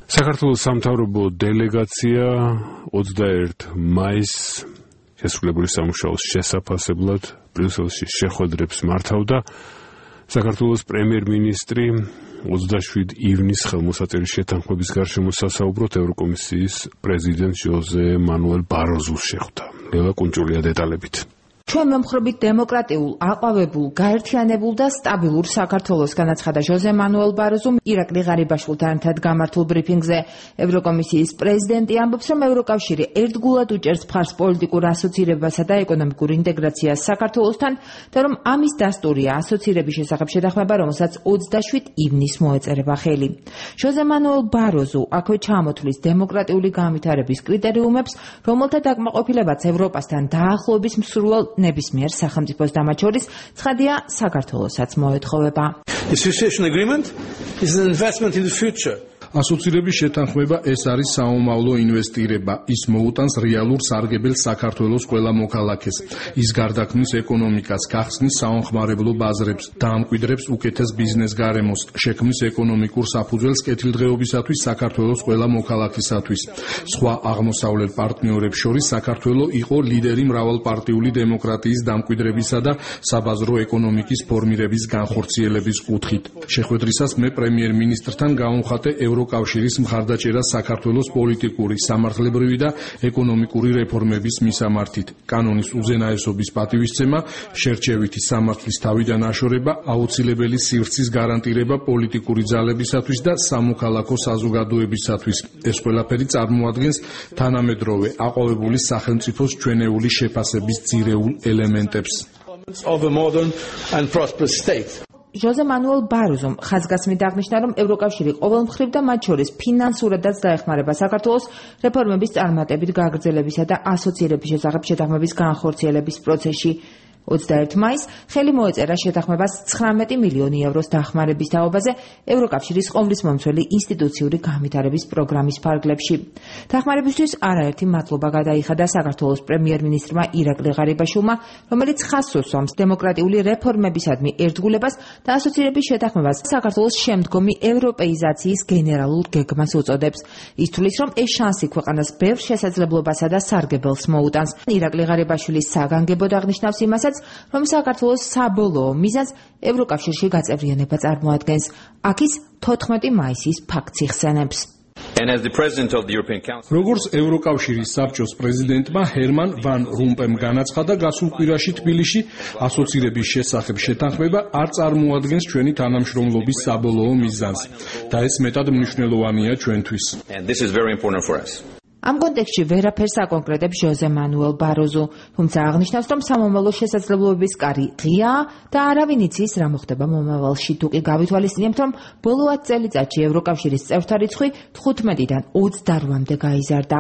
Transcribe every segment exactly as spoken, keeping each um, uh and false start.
საქართველოს სამთავრობო დელეგაცია ოცდაერთი მაისს შესრულებული სამუშაოს შესაფასებლად ბრიუსელში შეხვედრებს მართავდა. საქართველოს პრემიერ-მინისტრი ოცდაშვიდი ივნის ხელმოსაწერი შეთანხმების გარშემო სასაუბროდ ევროკომისიის პრეზიდენტ ჟოზე მანუელ ბაროზუს შეხვდა. ლელა კუნჭულია დეტალებით. ჩვენ მომხრობით დემოკრატიულ, აყვავებულ, გაერთიანებულ და სტაბილურ საქართველოს განაცხადა ჟოზე მანუელ ბაროზუმ ირაკლი ღარიბაშვილთან ერთად გამართულ ბრიფინგზე. ევროკომისიის პრეზიდენტი ამბობს, რომ ევროკავშირი ერთგულად უჭერს მხარს პოლიტიკურ ასოცირებასა და ეკონომიკურ ინტეგრაციას საქართველოსთან და რომ ამის დასტურია ასოცირების შესახებ შეთანხმება, რომელსაც ოცდაშვიდი ივნის მოეწერება ხელი. ჟოზე მანუელ ბაროზუ აქვე ჩაამოთვლის დემოკრატიული განვითარების კრიტერიუმებს, რომელთა დაკმაყოფილებაც ევროპასთან დაახლოების მსურველ ნებისმიერ სახელმწიფოს დამაჩ შორის ცხადია საქართველოსაც მოეთხოვება. ასოცირების შეთანხმება ეს არის საომავლო ინვესტირება. ის მოუტანს რეალურ სარგებელს საქართველოს ყველა მოქალაქეს. ის გარდაქმნის ეკონომიკას, გახსნის საომხმარებლო ბაზრებს, დაამკვიდრებს უკეთეს ბიზნეს გარემოს, შექმნის ეკონომიკურ საფუძველს კეთილდღეობისათვის საქართველოს ყველა მოქალაქისათვის. სხვა აღმოსავლელ პარტნიორებს შორის საქართველო იყო ლიდერი მრავალპარტიული დემოკრატიის დამკვიდრებისა და საბაზრო ეკონომიკის ფორმირების განხორციელების კუთხით. შეხვედრისას მე პრემიერ-მინისტრთან გავუმხატე ევროკავშირის მხარდაჭერა საქართველოს პოლიტიკური, სამართლებრივი და ეკონომიკური რეფორმების მისამართით. კანონის უზენაესობის პატივისცემა, შერჩევითი სამართლის თავიდან აშორება, აუცილებელი სივრცის გარანტირება პოლიტიკური ძალებისათვის და სამოქალაქო საზოგადოებისათვის. ეს ყველაფერი წარმოადგენს თანამედროვე აყვავებული სახელმწიფოს ჩვენეული შეფასების ძირეულ ელემენტებს. ჟოზე მანუელ ბაროზუმ ხაზგასმით აღნიშნა, რომ ევროკავშირი ყოველ მხრივ და მათ შორის ფინანსურადაც დაეხმარება საქართველოს რეფორმების წარმატებით გაგრძელებისა და ასოცირების შესახებ შეთანხმების განხორციელების პროცესში. ოცდაერთი მაისს ხელი მოეწერა შეთანხმებას ცხრამეტი მილიონი ევროს დახმარების თაობაზე ევროკავშირის ყომრისმომცველი ინსტიტუციური განვითარების პროგრამის ფარგლებში. დახმარებისთვის არაერთი მადლობა გადაიხადა საქართველოს პრემიერ-მინისტრმა ირაკლი ღარიბაშვილმა, რომელიც ხაზს უსვამს დემოკრატიული რეფორმებისადმი ერთგულებას და ასოცირების შეთანხმებას საქართველოს შემდგომი ევროპეიზაციის გენერალურ გეგმას უწოდებს. ის თვლის, რომ ეს შანსი ქვეყანას ბევრ შესაძლებლობასა და სარგებელს მოუტანს. ირაკლი ღარიბაშვილის საგანგებოდ აღნიშნავს იმასაც, რომ საქართველოს საბოლოო მიზანს ევროკავშირში გაწევრიანება წარმოადგენს. აქ ის თოთხმეტი მაისის ფაქტს იხსენებს. როგორც ევროკავშირის საბჭოს პრეზიდენტმა ჰერმან ვან რომპემ განაცხადა, გასულ კვირაში თბილისში ასოცირების შესახებ შეთანხმება არ წარმოადგენს ჩვენი თანამშრომლობის საბოლოო მიზანს და ეს მეტად მნიშვნელოვანია ჩვენთვის. ამ კონტექსტში ვერაფერს აკონკრეტებს ჟოზე მანუელ ბაროზუ, თუმცა აღნიშნავს, რომ სამომავლო შესაძლებლობების კარი ღიაა და არავინ იცის, რა მოხდება მომავალში. თუ კი გავითვალისწინებთ, რომ ბოლო ათ წელიწადში ევროკავშირის წევრთა რიცხვი თხუთმეტიდან ოცდაშვიდამდე გაიზარდა.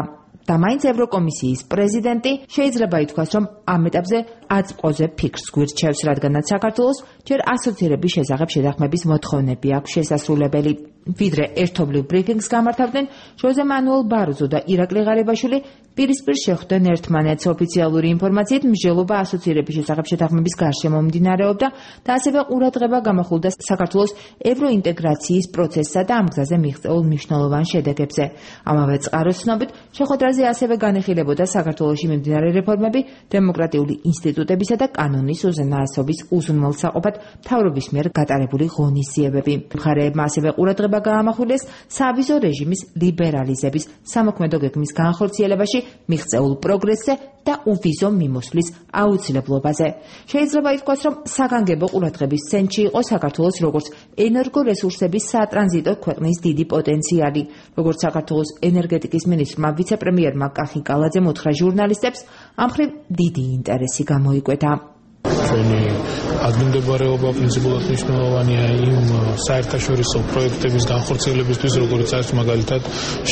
და მაინც ევროკომისიის პრეზიდენტი შეიძლება ითქვას, რომ ამ ეტაპზე აწმყოზე ფიქრს გვირჩევს, რადგანაც საქართველოს ჯერ ასოცირების შესახებ შეთანხმების მოთხოვნები აქვს შესასრულებელი. ვიდრე ერთობლივ ბრიფინგს გამართავდნენ, ჟოზე მანუელ ბაროზუ და ირაკლი ღარიბაშვილი პირისპირ შეხვდნენ ერთმანეთს. ოფიციალური ინფორმაციით მსჯელობა ასოცირების შესახებ შეთანხმების გარშემო მიმდინარეობდა და ასევე ყურადღება გამახვილდა საქართველოს ევროინტეგრაციის პროცესსა და ამ გზაზე მიღწეულ მნიშვნელოვან შედეგებზე. ამავე წყაროს ცნობით, შეხვედრაზე ასევე განიხილებოდა საქართველოში მიმდინარე რეფორმები, დემოკრატიული ინსტიტუტებისა და კანონის უზენაესობის უზრუნველსაყოფად მთავრობის მიერ გატარებული ღონისძიებები. მხარეებმა ასევე ყურადღება გაამახვილეს სავიზო რეჟიმის ლიბერალიზების, სამოქმედო გეგმის განხორციელებაში მიღწეულ პროგრესზე და უვიზო მიმოსვლის აუცილებლობაზე. შეიძლება ითქვას, რომ საგანგებო ყურადღების ცენტრში იყო საქართველოს როგორც ენერგორესურსების სატრანზიტო ქვეყნის დიდი პოტენციალი. როგორც საქართველოს ენერგეტიკის მინისტრმა ვიცე-პრემიერმა კახი კალაძემ უთხრა ჟურნალისტებს, ამ მხრივ დიდი ინტერესი გამოიკვეთა. ჩვენი ადგილმდებარეობა პრინციპულად მნიშვნელოვანია იმ საერთაშორისო პროექტების განხორციელებისთვის, როგორც არის მაგალითად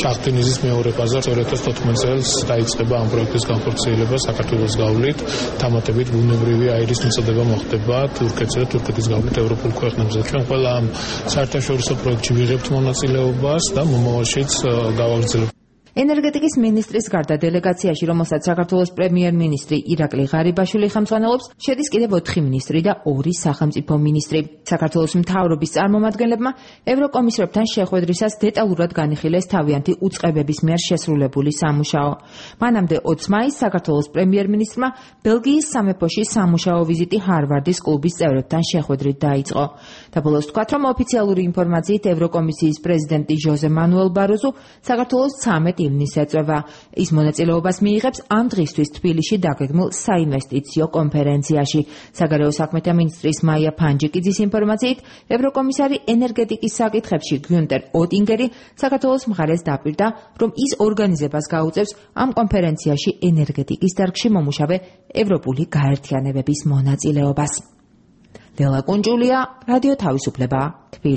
შახტინიზის მეორე ბაზარი ორი ათას თოთხმეტ წელს დაიწყება ამ პროექტის განხორციელება საქართველოს გავლით, დამატებით ბუნებრივი აირის მიწოდება მოხდება თურქეთსა და თურქეთის გავლით ევროპულ ქვეყნებზე. ჩვენ ყველა ამ საერთაშორისო პროექტში ვიღებთ მონაწილეობას და მომავალშიც გავაგრძელებთ. ენერგეტიკის მინისტრის გარდა დელეგაციაში, რომელსაც საქართველოს პრემიერ-მინისტრი ირაკლი ღარიბაშვილი ხელმძღვანელობს, შედის კიდევ ოთხი მინისტრი და ორი სახელმწიფო მინისტრი. საქართველოს მთავრობის წარმომადგენლებმა ევროკომისრებთან შეხვედრისას დეტალურად განიხილეს თავიანთი უწყებების მიერ შესრულებული სამუშაო. მანამდე ოცი მაისს საქართველოს პრემიერ-მინისტრმა ბელგიის სამეფოში სამუშაო ვიზიტი ჰარვარდის კლუბის წევრებთან შეხვედრით დაიწყო. და ბოლოს თქვათ, რომ ოფიციალური ინფორმაციით ევროკომისიის პრეზიდენტი ჟოზე მანუელ ბაროზუ საქართველოს ცამეტ ივნისს ეწევა. ის მონაწილეობას მიიღებს ამ დღისთვის თბილისში დაგეგმილ საინვესტიციო კონფერენციაში. საგარეო საქმეთა მინისტრის მაია ფანჯიკიძის ინფორმაციით, ევროკომისარი ენერგეტიკის საკითხებში გიუნტერ ოტინგერი საქართველოს მხარეს დაპირდა, რომ ის ორგანიზებას გაუწევს ამ კონფერენციაში ენერგეტიკის დარგში მომუშავე ევროპული გაერთიანებების მონაწილეობას. ლელა კუნჯულია, რადიო თავისუფლება.